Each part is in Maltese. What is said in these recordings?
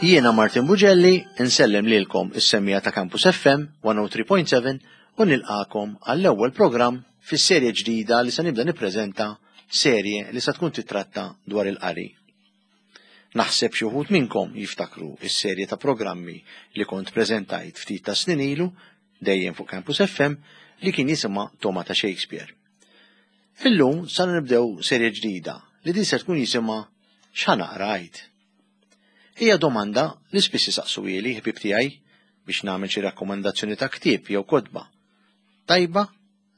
Jiena Martin Bugelli insellem lilkom is-semmija ta' Campus FM 103.7 u nilqakom għall-ewwel programm fis-serje ġdida li se nibda nippreżenta serje li se tkun titratta dwar il-qari. Naħseb xi wħud minnkom jiftakru s-serje ta' programmi li kont preżentajt ftit ta' snin ilu dejjem fuq Campus FM li kien jisimha Toma ta' Shakespeare. Illum sa nibdew serje ġdida li din se tkun jisimha X'ħa naqra għid? Hija domanda li spiss isaqsuhieli ħbieb tiegħi biex nagħmel xi rakkomandazzjoni ta' ktieb jew kotba tajba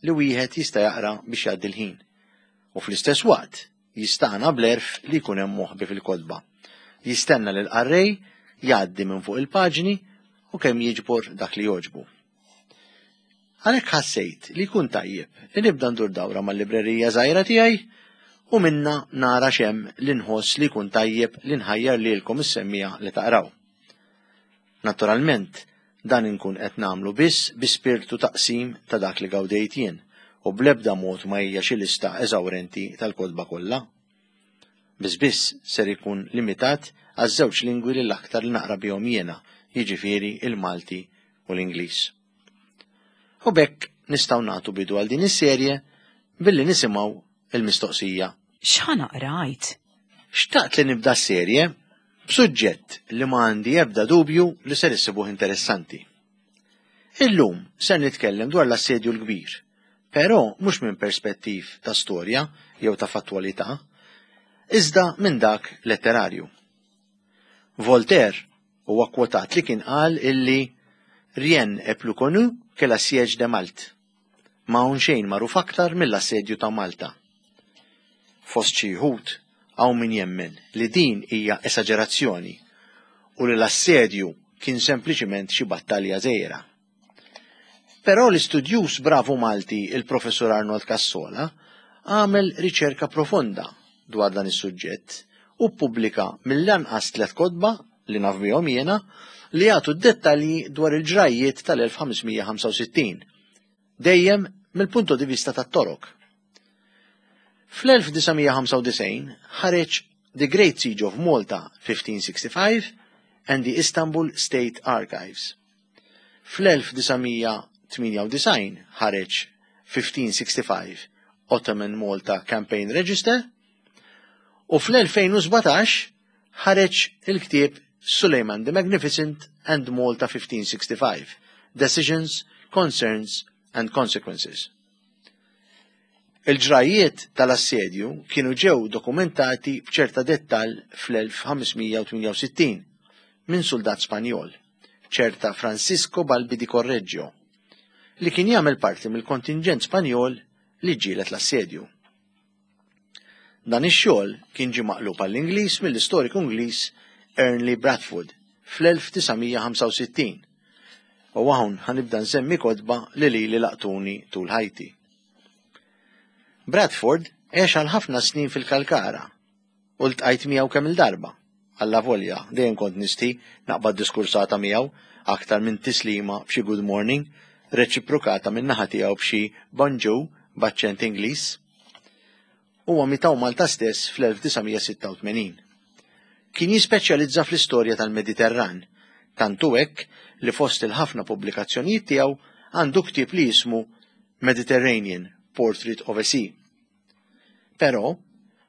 li wieħed jista' jaqra biex jgħaddi l-ħin u fl-istess waqt jistagħna bl-għerf li jkun hemm moħbi fil-kotba. Jistenna li l-qarrej jgħaddi minn fuq il-paġni u kemm jiġbor dak li jogħġbu. Għalhekk ħassejt li jkun tajjeb li nibda ndur dawra mal-librerija żgħira tiegħi u minnha nara x'hemm li nħoss li jkun tajjeb li nħajjar lilkom is-semmiegħa li taqraw. Naturalment, dan inkun qed nagħmlu biss bi spirtu ta' qsim ta' dak li gawdejt jien u bl-ebda mod ma hija xi lista eżawrenti tal-kotba kollha. Biss biss ser ikun limitat għaż-żewġ lingwi li l-aktar li naqra bihom jiena, jiġifieri l-Malti u l-Ingliż. U b'hekk nistgħu nagħtu bidu għal din is-serje billi nisimgħu il-mistoqsija. X'ħa naqra għid? Xtaqt li nibda s-serje b'suġġett li ma għandi ebda dubju li ser issibuh interessanti. Illum ser nitkellem dwar l-Assedju l-Kbir, però mhux minn perspettiv ta' storja jew ta' fattwalità, iżda minn dak letterarju. Voltaire Huwa kkwotat li kien qal illi Rien est plus connu que la siège de Malte. Ma hawn xejn magħruf aktar mill-assedju ta' Malta. Fost xi wħud hawn min jemmen li din hija esaġerazzjoni u li l-assedju kien sempliċiment xi battalja żgħira. Però l-istudjuż bravu Malti il-Professur Arnold Cassola għamel riċerka profonda dwar dan is-suġġett u ppubblika mill-anqas tlett kotba li naf bihom jiena li jagħtu d-dettalji dwar il-ġrajjiet tal-1565, dejjem mill-punto di vista tat-Torok. Fl-1995 ħareġ The Great Siege of Malta 1565 and the Istanbul State Archives. Fl-1998 ħareġ 1565 Ottoman Malta Campaign Register u fl-2017 ħareġ il-ktieb Suleiman the Magnificent and Malta 1565, Decisions, Concerns and Consequences. Il-ġrajjiet tal-assedju kienu ġew dokumentati b'ċerta dettall fl-1568 minn suldat Spanjol, ċerta Francisco Balbi di Correggio, li kien jagħmel parti mill-kontinġent Spanjol li ġġieled l-assedju. Dan ix-xogħol kien ġie maqlub għall-Ingliż mill-istoriku Ingliż Ernley Bradford fl-1965. U hawn ħa nibda nsemmi kotba li lili laqtuni tul ħajti. Bradford għex għal ħafna snin fil-Kalkara u ltqajt miegħu kemm-il darba. Allavolja, dejjem kont nistħi naqbad diskursata miegħu aktar minn tislima b'xi good morning reċiprokata min-naħa tiegħu b'xi bonjour b'aċċent Ingliż. Huwa miet hawn Malta stess fl-1986. Kien jispeċjalizza fl-istorja tal-Mediterran, tant hu hekk li fost il-ħafna pubblikazzjonijiet tiegħu għandu ktieb li jismu Mediterranean, Portrait of a Sea. Però,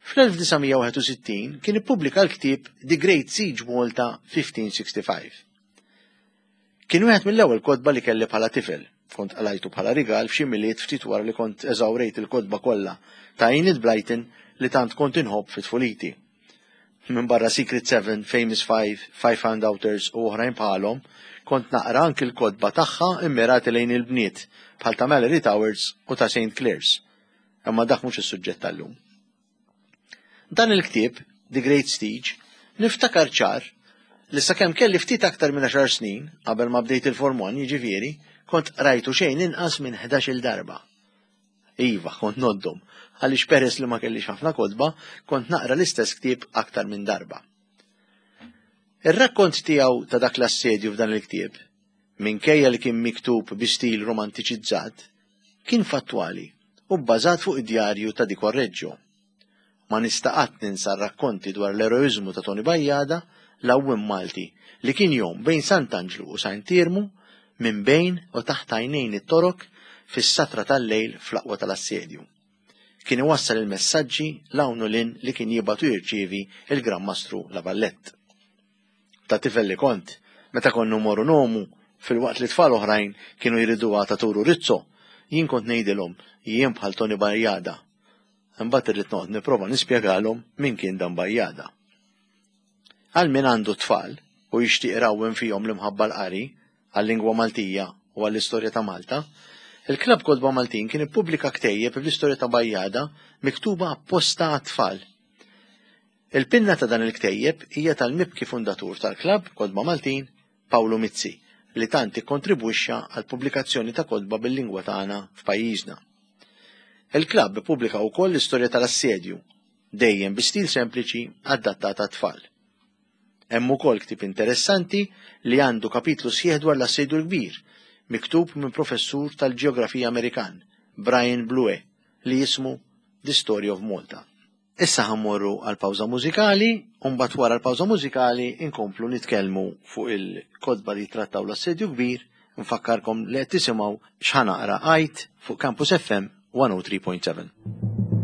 fl-1961 kien ippubblika l-ktieb The Great Siege Malta 1565. Kien wieħed mill-ewwel kotba li kelli bħala tifel. Kont qalajtu bħala rigal f'xi Milied ftit wara li kont eżawrejt il-kotba kollha ta' Enid Blyton li tant kont inħobb fi tfuliti. Minbarra Secret Seven, Famous Five, Five Found Outers u oħrajn bħalhom, kont naqra anki l-kotba tagħha immirati lejn il-bniet bħal ta' Mallory Towers u ta' St. Claire's. Imma dak mhux is-suġġett tal-lum. Dan il-ktieb, The Great Siege, niftakar ċar li sakemm kelli ftit aktar minn għaxar snin, qabel ma bdejt il-Form 1 jiġifieri, kont qrajtu xejn inqas minn ħdax-il darba. Iva, kont ngħoddhom, għaliex peress li ma kellix ħafna kotba, kont naqra l-istess ktieb aktar minn darba. Ir-rakkont tiegħu ta' dak l-assedju f'dan il-ktieb, minkejja li kien miktub bi stil romantiċizzat, kien fattwali u bbażat fuq id-djarju ta' Di Correggio. Ma nista' qatt ninsa r-rakkonti dwar l-eroiżmu ta' Toni Bajada l-għawwiem Malti li kien jgħum bejn Sant'Anġlu u Saint Iermu minn bejn u taħt għajnejn it-Torok fis-satra tal-lejl fl-aqwa tal-assedju. Kien iwassal il-messaġġi 'l hawn u 'l hinn li kien jibgħat u jirċievi l-Gran Mastru La Vallette. Ta' tifel li kont, meta konna mmorru ngħumu, filwaqt li tfal oħrajn kienu jriduha ta' Turu Rizzo, jien kont ngħidilhom jien bħal Toni Bajada. Imbagħad irrid noqgħod nipprova nispjegalhom min kien dan Bajada. Għal min għandu t-tfal u jixtieq irawwem fihom l-imħabba għall-qari, għal-lingwa Maltija u għall-istorja ta' Malta, il-Klabb Kotba Maltin kien ippubblika ktejjeb bl-istorja ta' Bajada miktuba apposta għat-tfal. Il-pinna ta' dan il-ktejjeb hija tal-mibki fundatur tal-Klabb Kotba Maltin, Pawlu Mizzi, li tant ikkontribwixxa għall-pubblikazzjoni ta' kotba bil-lingwa tagħna f'pajjiżna. Il-klabb ippubblika wkoll l-istorja tal-assedju, dejjem bi stil sempliċi adattat għat-tfal. Hemm ukoll ktieb interessanti li għandu kapitlu sħiħ dwar l-Assedju l-Kbir, miktub minn professur tal-ġeografija Amerikan, Brian Blue, li jismu The Story of Malta. Issa ħa mmorru għal pawża mużikali u mbagħad wara l-pawża mużikali nkomplu nitkellmu fuq il-kotba li jittrattaw l-Assedju Kbir. Nfakkarkom li qed tisimgħu X'Ħa Naqra Għid fuq Campus FM 103.7.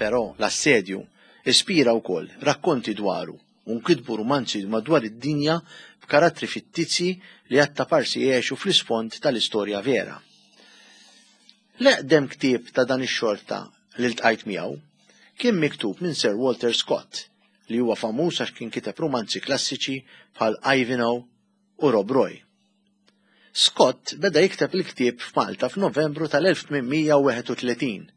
Però l-assedju ispira wkoll rakkonti dwaru u nkitbu rumanzi madwar id-dinja b'karattri fittizji li attaparsi għexu fl-isfond tal-istorja vera. L-eqdem ktieb ta' dan ix-xorta li ltqajt miegħu kien miktub minn Sir Walter Scott li huwa famuż għax kien kiteb rumanzi klassiċi bħal Ivanhoe u Rob Roy. Scott beda jikteb il-ktieb f'Malta f'Novembru tal-1831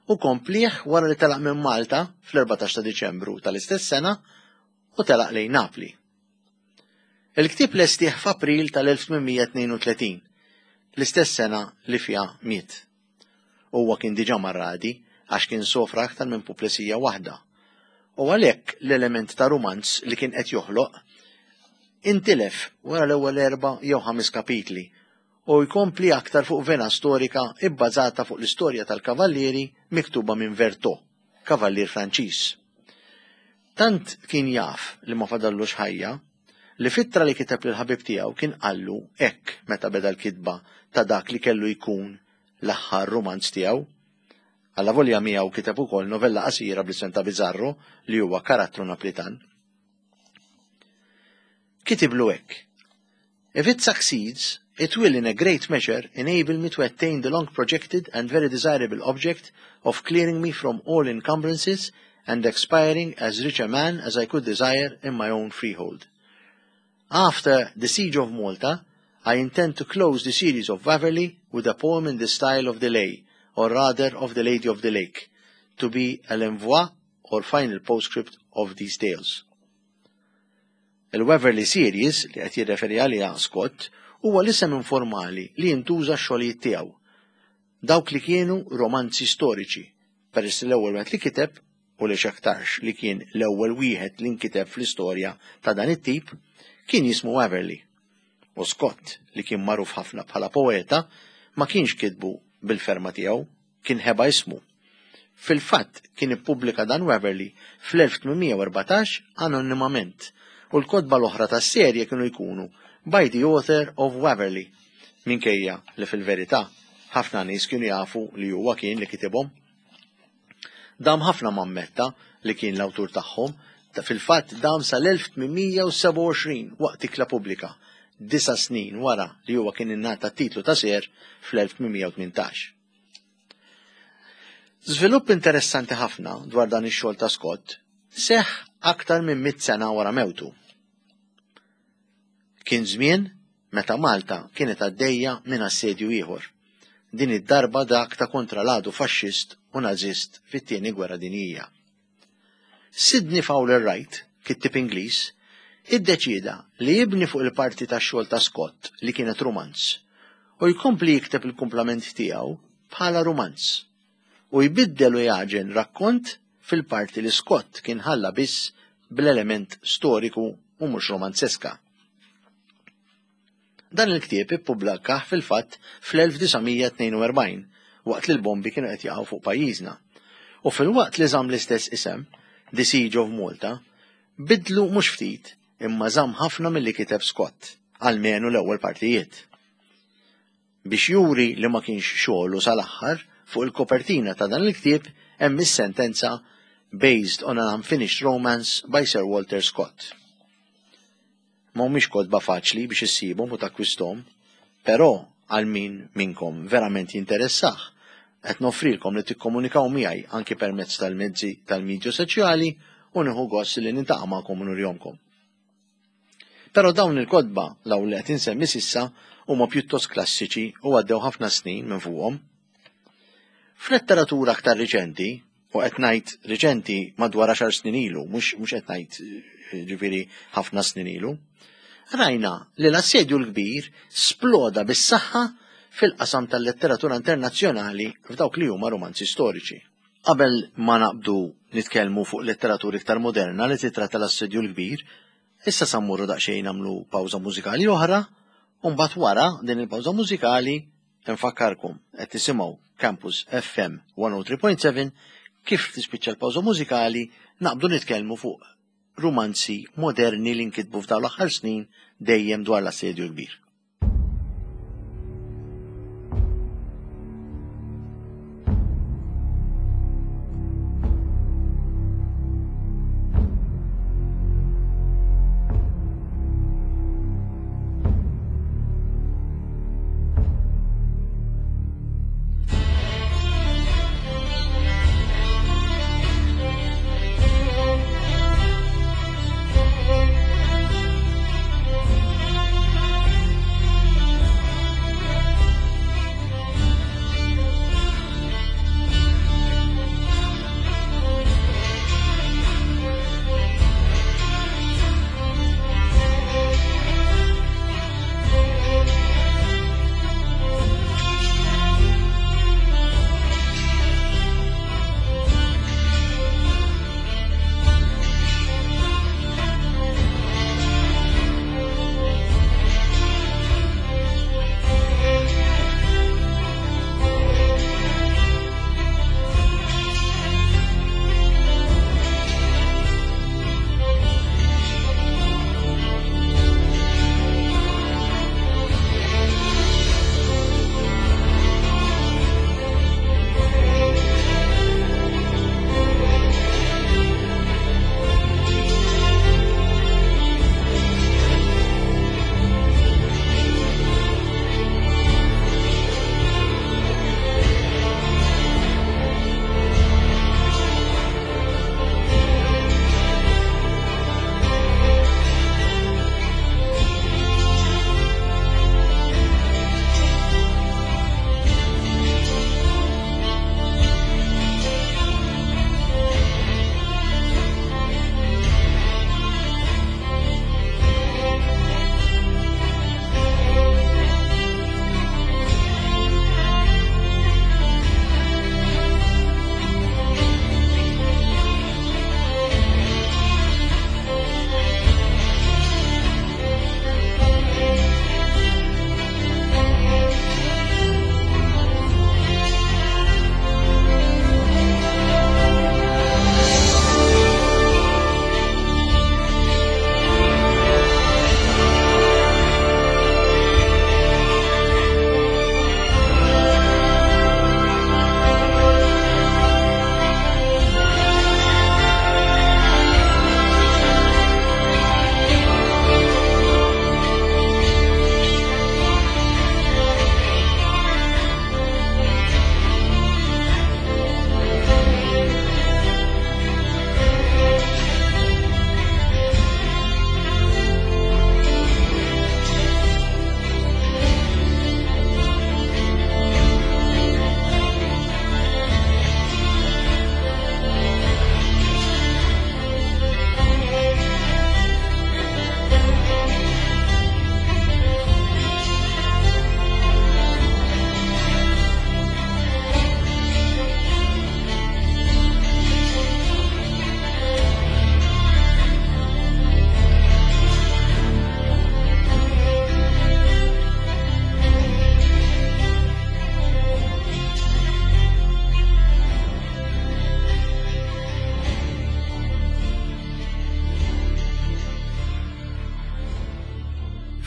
u komplieh wara li telaq minn Malta fl-14 ta' Diċembru tal-istess sena u telaq lejn Napli. Il-ktieb lestih f'April tal-1832, l-istess sena li fiha miet. Huwa kien diġà marradi għax kien sofra aktar minn puplesija waħda u għalhekk l-element ta' rumanz li kien qed joħloq intilef wara l-ewwel erba' jew ħames kapitli u jkompli aktar fuq vena storika ibbażata fuq l-istorja tal-kavallieri miktuba minn Vertot, kavallier Franċiż. Tant kien jaf li ma fadallux ħajja, li f'ittra li kiteb lill-ħabib tiegħu kien qallu hekk meta beda l-kitba ta' dak li kellu jkun l-aħħar rumanz tiegħu. Allavolja miegħu kiteb ukoll novella qasira bl-isem ta' Bizzarro li huwa karattru Naplitan. Kitiblu hekk, If it succeeds, It will in a great measure enable me to attain the long projected and very desirable object of clearing me from all encumbrances and expiring as rich a man as I could desire in my own freehold. After the siege of Malta, I intend to close the series of Waverley with a poem in the style of the lay, or rather of the Lady of the Lake, to be a l'envoi or final postscript of these tales. Il-Waverley Series, li qed jirreferi għaliha Scott, huwa l-isem informali li jintuża x-xogħlijiet tiegħu. Dawk li kienu romanzi storiċi, peress li l-ewwel wieħed li kiteb, u li x'aktarx li kien l-ewwel wieħed li nkiteb fl-istorja ta' dan it-tip, kien jismu Waverley. U Scott, li kien magħruf ħafna bħala poeta, ma kienx kitbu bil-ferma tiegħu, kien ħeba ismu. Fil-fatt kien ippubblika dan Waverley fl-1814 anonimament u l-kotba l-oħra tas-serje kienu jkunu by the author of Waverley, minkejja li fil-verità ħafna nies kienu jafu li huwa kien li kitibhom. Dam ħafna ma ammetta li kien l-awtur tagħhom, fil-fatt dam sal-1827 waqt ikla pubblika, disa' snin wara li huwa kien ingħata t-titlu ta' Sir fl-1818. Żvilupp interessanti ħafna dwar dan ix-xogħol ta' Scott seħħ aktar minn mitt sena wara mewtu. Kien żmien meta Malta kienet għaddejja minn assedju ieħor, din id-darba dak ta' kontra l-għadu faxxist u Nażist fit-Tieni Gwerra Dinjija. Sidney Fowler Wright, kittieb Ingliż, iddeċieda li jibni fuq il-parti tax-xogħol ta' Scott li kienet rumanz u jkompli jikteb il-kumplament tiegħu bħala rumanz u jbiddel u jagħġen rakkont fil-parti li Scott kien ħalla biss bl-element storiku u mhux romanzeska. Dan il-ktieb ippubblikah fil-fatt fl-1942 waqt li l-bombi kienu qed jaqgħu fuq pajjiżna. U filwaqt li żamm l-istess isem, The Siege of Malta, bidlu mhux ftit imma żamm ħafna milli kiteb Scott, almenu l-ewwel partijiet. Biex juri li ma kienx xogħlu sal-aħħar, fuq il-kopertina ta' dan il-ktieb hemm is-sentenza Based on an Unfinished Romance by Sir Walter Scott. Ma humiex kotba faċli biex issibhom u takkwisthom, però għal min minnkom verament jinteressah, qed noffrilkom li tikkomunikaw miegħi anki permezz tal-mezzi tal-midja soċjali u nieħu gost li niltaqa' magħkom u nurihomkom. Però dawn il-kotba l-hawn li qed insemmi s'issa huma pjuttost klassiċi u għaddew ħafna snin minn fuqhom. F'letteratura aktar riċenti, u qed ngħid riċenti madwar għaxar snin ilu, mhux qed ngħid eh, ġifieri ħafna snin ilu, rajna li l-assedju l-kbir sploda bis-saħħa fil-qasam tal-letteratura internazzjonali f'dawk li huma romanzi storiċi. Qabel ma naqbdu nitkellmu fuq letteratura iktar moderna li titratta l-assedju l-kbir, issa sa mmorru daqsxejn nagħmlu pawża mużikali oħra, u mbagħad wara din il-pawża mużikali Infakkarkom qed tisimgħu Campus FM 103.7 kif tispiċċa l-pawża mużikali naqbdu nitkellmu fuq rumanzi moderni li nkitbu f'dawn l-aħħar snin dejjem dwar l-assedju l-kbir.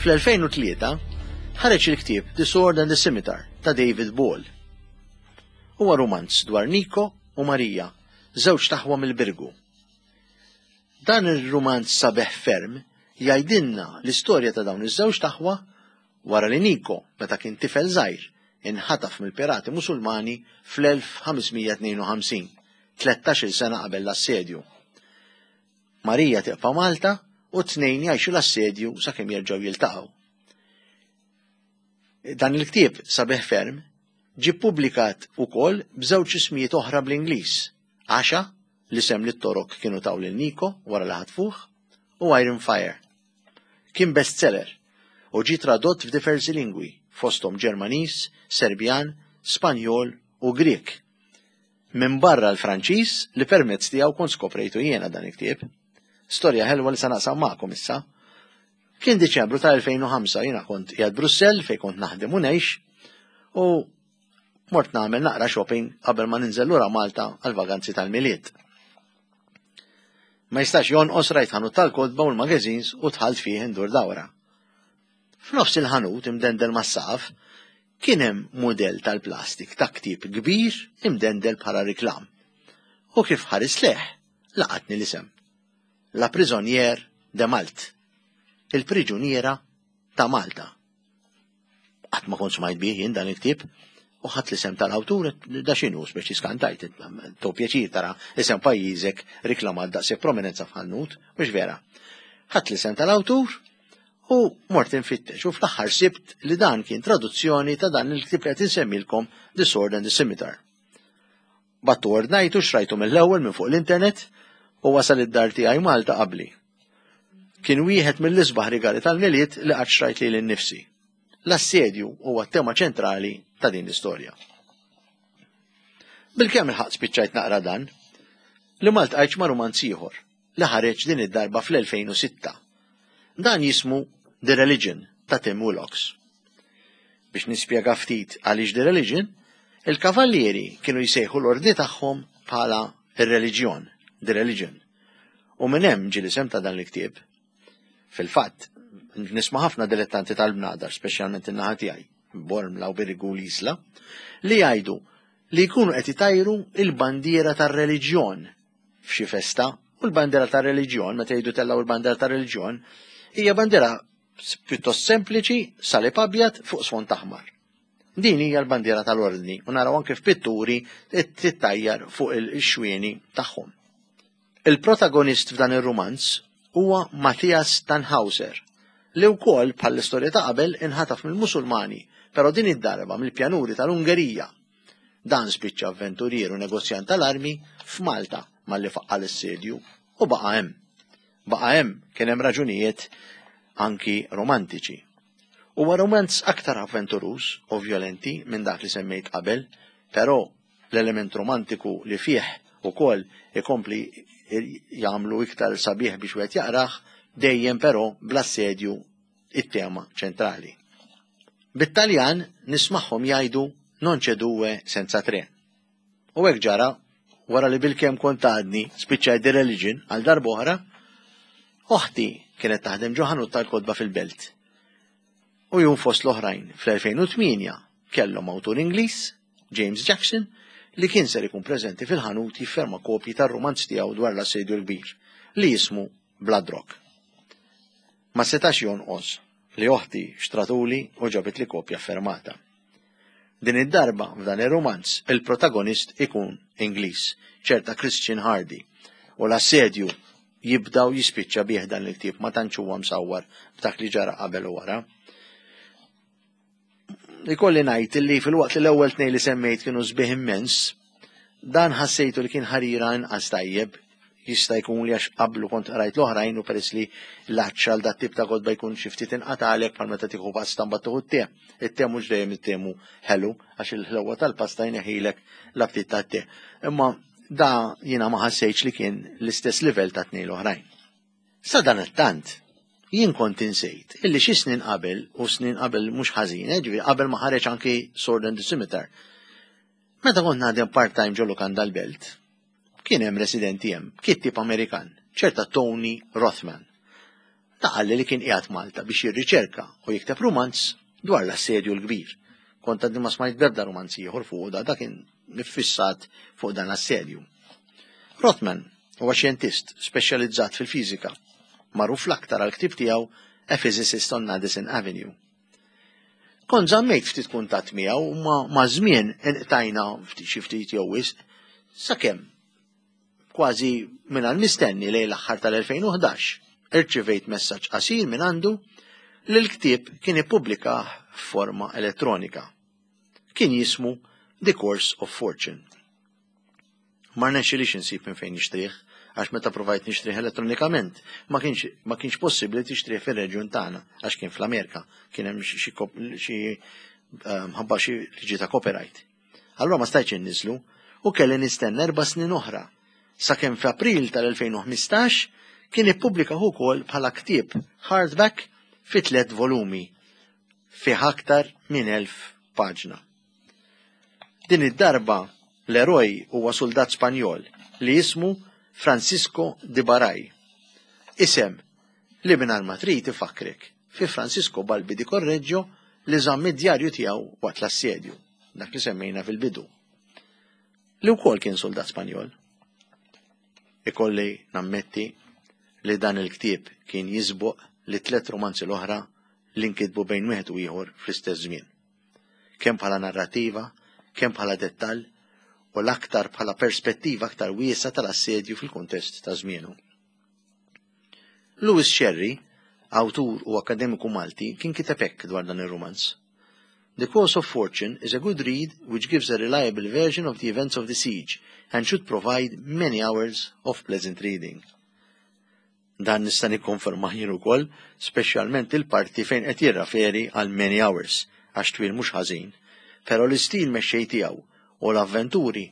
Fl-2003 ħareġ il-ktieb The Sword and the Scimitar ta' David Ball. Huwa rumanz dwar Niko u Marija, żewġ taħwa mill-Birgu. Dan ir-rumanz sabiħ ferm jgħidilna l-istorja ta' dawn iż-żewġ taħwa wara li Niko, meta kien tifel żgħir, inħataf mill-pirati Musulmani fl-1552, 13-il sena qabel l-assedju. Marija tibqa' Malta u t-tnejn jgħixu l-assedju sakemm jerġgħu jiltaqgħu. Dan il-ktieb sabiħ ferm ġie ppubblikat ukoll b'żewġ ismijiet oħra bl-Ingliż, Asha, l-isem li t-Torok kienu taw lil Niko wara li ħatfuh, u Iron Fire. Kien bestseller u ġie tradott f'diversi lingwi, fosthom Ġermaniż, Serbjan, Spanjol u Grieg. Minbarra l-Franċiż li permezz tiegħu kont skoprejtu jiena dan il-ktieb. Storja ħelwa li sa naqsam magħkom issa. Kien Diċembru tal-2005 jiena kont qiegħed Brussell fejn kont naħdem u ngħix u mort nagħmel naqra shopping qabel ma ninżel lura Malta għal vaganzi tal-Milied. Ma jistax jonqos rajt ħanut tal-kotba u l-magazines u dħalt fih indur dawra. F'nofs il-ħanut imdendel mas-saqaf kien hemm mudell tal-plastik ta' ktieb kbir imdendel bħala riklam. U kif ħarist lejh, laqatni l-isem. La Prisonnière de Malte. Il-Priġuniera ta' Malta. Qatt ma kont smajt bih jien dan il-ktieb u ħadt l-isem tal-awtur da x'inhu speċi skantajt, to pjaċir tara isem pajjiżek riklamat daqshekk prominenza f'ħanut, mhux vera. Ħadt l-isem tal-awtur u mort infittex u fl-aħħar sibt li dan kien traduzzjoni ta' dan il-ktieb li qed insemmilkom The Sword and the Scimitar. Battu ordnajtu xrajtu mill-ewwel minn fuq l-internet u wasal id-dar tiegħi Malta qabli. Kien wieħed mill-isbaħ rigali tal-Milied li qatt xrajt lili nnifsi. L-assedju huwa t-tema ċentrali ta' din l-istorja. Bilkemm il-ħaqt spiċċajt naqra dan, li ma ltqajtx ma' rumanz ieħor li ħareġ din id-darba fl-2006. Dan jismu The Religion ta' Tim Willocks. Biex nispjega ftit għaliex The Religion, il-kavallieri kienu jsejħu l-ordni tagħhom bħala ir-reliġjon, The Religion. U minn hemm ġie l-isem ta' dan il-ktieb. Fil-fatt, nisma' ħafna dilettanti tal-bnadar, speċjalment in-naħa tiegħi, Bormla u Birgu l-Isla, li jgħidu li jkunu qed itajru il-bandiera tar-reliġjon f'xi festa u l-bandiera tar-reliġjon, meta jgħidu tellgħu l-bandiera tar-reliġjon, hija bandiera pjuttost sempliċi, salib abjad fuq sfond aħmar. Din hija l-bandiera tal-ordni u naraw anke f'pitturi tittajjar fuq il-xwieni tagħhom. Il-protagonist f'dan ir-rumanz huwa Matthias Tannhauser, li wkoll bħall-istorja ta' qabel inħataf mill-Musulmani, però din id-darba mill-pjanuri tal-Ungerija. Dan spiċċa avventurier u negozjant tal-armi f'Malta malli faqqa' l-assedju u baqa' hemm. Baqa' hemm kien hemm raġunijiet anki romantiċi. Huwa romanz aktar avventuruż u vjolenti minn dak li semmejt qabel, però l-element romantiku li fih ukoll ikompli jagħmlu iktar sabiħ biex wieħed jaqrah, dejjem però bl-assedju it-tema ċentrali. Bit-Taljan nismagħhom jgħidu non c'è due senza tre. U hekk ġara wara li bilkemm kont għadni spiċċajt The Religion għal darb'oħra, oħti kienet taħdem ġo ħanut tal-kotba fil-belt. U jum fost l-oħrajn fl-2008 kellhom awtur Ingliż, James Jackson, li kien ser ikun preżenti fil-ħanut jifferma kopji tar-rumanz tiegħu dwar l-Assedju l-Kbir, li jismu Blood Rock. Ma setax jonqos li oħti xtratuli u ġabitli kopja ffermata. Din id-darba f'dan ir-rumanz il-protagonist ikun Ingliż, ċerta Christian Hardy, u l-assedju jibda u jispiċċa bih dan il-ktieb ma tantx huwa msawwar b'dak li ġara qabel u wara. Ikolli ngħid li filwaqt li l-ewwel tnejn li semmejt kienu sbieħ immens, dan ħassejtu li kien ħarira inqas tajjeb, jista' jkun li għax qablu kont qrajt l-oħrajn u peress li l-għatx għal dat tip ta' kotba jkun xi ftit inqatalek bħal meta tieħu pasta mbagħad tieħu t-te. It-te mhux dejjem it-temu ħelu għax il-ħlewwa tal-pasta jneħħilek l-aptit tat-te. Imma da jiena ma ħassejtx li kien l-istess livell ta' tnejn l-oħrajn. Sadanittant, jien kont insejt illi xi snin qabel, u snin qabel mhux ħażin, eh, ġifieri qabel ma ħareġ anki Sword and the Scimitar, meta kont naħdem part-time ġo lukanda l-Belt, kien hemm residenti hemm, kittieb Amerikan, ċerta Tony Rothman. Ta qalli li kien qiegħed Malta biex jirriċerka u jikteb rumanz dwar l-Assedju l-Kbir. Kont għadni ma smajt b'ebda rumanz ieħor fuqu da, da kien iffissat fuq dan l-assedju. Rothman huwa xjentist speċjalizzat fil-fiżika, magħruf l-aktar għall-ktieb tiegħu A Physicist on Madison Avenue. Kont żammejt ftit kuntatt miegħu u ma maż-żmien inqtajna ftit xi ftit jew wisq sakemm kważi mingħajr mistenni lejn l-aħħar tal-2011 irċivejt messaġġ qasir minn għandu li l-ktieb kien ippubblikah f'forma elettronika. Kien jismu The Course of Fortune. Ma rnexxilix insib minn fejn nixtrih għax meta provajt nixtrih elettronikament ma kienx ma kienx possibbli tixtrih fir-reġjun tagħna għax kien fl-Amerika, kien hemm xi eh, mħabba xi liġi ta' copyright. Allura ma stajtx inniżlu u kelli nistenna erba' snin oħra sakemm f'April tal-2015 kien ippubblika ukoll bħala ktieb hardback fi tliet volumi fih aktar minn 1000 paġna. Din id-darba l-eroj huwa suldat Spanjol li jismu Francisco de Baray. Isem li mingħajr ma trid ifakkrek fi Francisco Balbi di Correggio li żamm id-djarju tiegħu waqt l-assedju, dak li semmejna fil-bidu. Li wkoll kien suldat Spanjol. Ikolli nammetti li dan il-ktieb kien jisboq li tlet romanzi l-oħra li nkitbu bejn wieħed u ieħor fl-istess żmien. Kemm bħala narrativa, kemm bħala dettall u l-aktar bħala perspettiva aktar wiesgħa tal-assedju fil-kuntest ta' żmienu. Louis Scerri, awtur u akkademiku Malti, kien kiteb hekk dwar dan ir-rumanz. The Course of Fortune is a good read which gives a reliable version of the events of the siege and should provide many hours of pleasant reading. Dan nista' nikkonfermah jien ukoll, speċjalment il-parti fejn qed jirraferi għal many hours, għax twil mhux ħażin. Però l-istil mexxej tiegħu u l-avventuri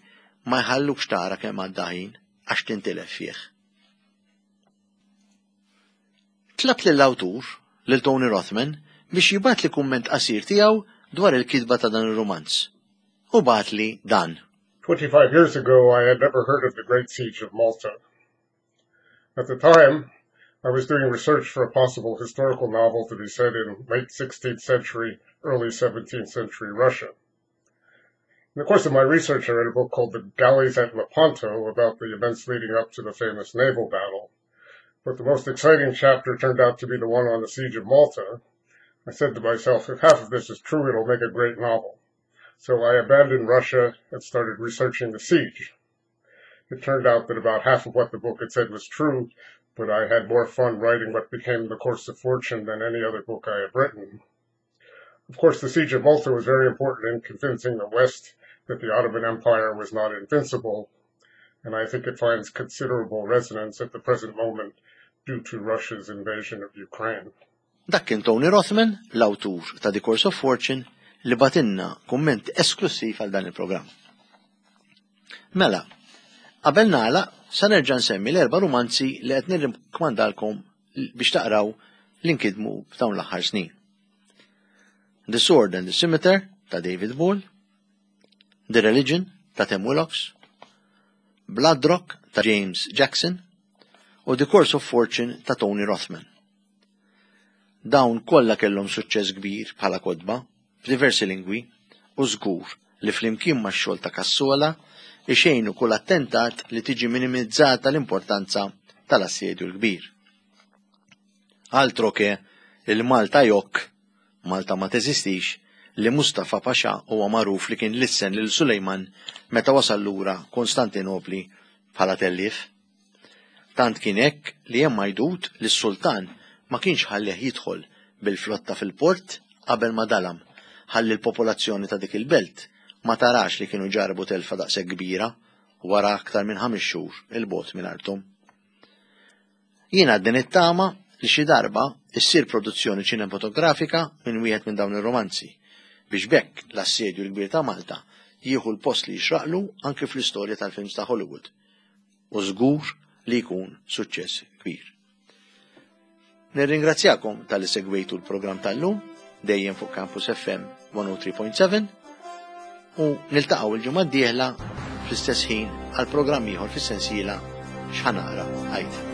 ma jħallukx tara kemm għadda ħin għax tintilef fih. Tlabt lill-awtur, lil Tony Rothman, biex jibgħatli kumment qasir tiegħu dwar il-kitba ta' dan ir-rumanz. U bagħatli dan. 25 years ago, I had never heard of the Great Siege of Malta. At the time, I was doing research for a possible historical novel to be set in late 16th century, early 17th century Russia. In the course of my research, I read a book called The Galleys at Lepanto about the events leading up to the famous naval battle. But the most exciting chapter turned out to be the one on the Siege of Malta. I said to myself, if half of this is true, it'll make a great novel. So I abandoned Russia and started researching the siege. It turned out that about half of what the book had said was true, but I had more fun writing what became The Course of Fortune than any other book I have written. Of course, the Siege of Malta was very important in convincing the West that the Ottoman Empire was not invincible, and I think it finds considerable resonance at the present moment due to Russia's invasion of Ukraine. Dak kien Tony Rothman, l-awtur ta' The Course of Fortune, li bagħtilna kumment esklussiv għal dan il-programm. Mela, qabel nagħlaq, sa nerġa' nsemmi l-erba' rumanzi li qed nirrikmandalkom biex taqraw li nkidmu f'dawn l-aħħar snin. The Sword and the Scimitar ta' David Ball, The Religion ta' Tim Willox, Blood Rock ta' James Jackson u The Course of Fortune ta' Tony Rothman. Dawn kollha kellhom suċċess kbir bħala kotba f'diversi lingwi u żgur li flimkien max-xogħol ta' Cassola ixejnu kull attentat li tiġi minimizzata l-importanza tal-Assedju l-Kbir. Altro che il-Malta jokk, Malta ma teżistix, li Mustafa Pasha huwa magħruf li kien lissen lil Sulejman meta wasal lura Konstantinopli bħala tellief. Tant kien hekk li hemm għajdut li s-sultan ma kienx ħallih jidħol bil-flotta fil-port qabel ma dalam ħalli l-popolazzjoni ta' dik il-belt ma tarax li kienu ġarrbu telfa daqshekk kbira wara aktar minn ħames xhur 'il bogħod minn arthom. Jien għadni nittama li xi darba issir produzzjoni ċinematografika minn wieħed minn dawn ir-romanzi biex b'hekk l-Assedju l-Kbir ta' Malta jieħu l-post li jixraqlu anki fl-istorja tal-films ta' Hollywood. U żgur li jkun suċċess kbir. Nirringrazzjakom tal-li segwejtu l-programm tal-lum dejjem fuq Campus FM 103.7 u niltaqgħu il-ġimgħa d-dieħla fl-istess ħin għal programm ieħor fis-sensiela x'ħanaqra għid.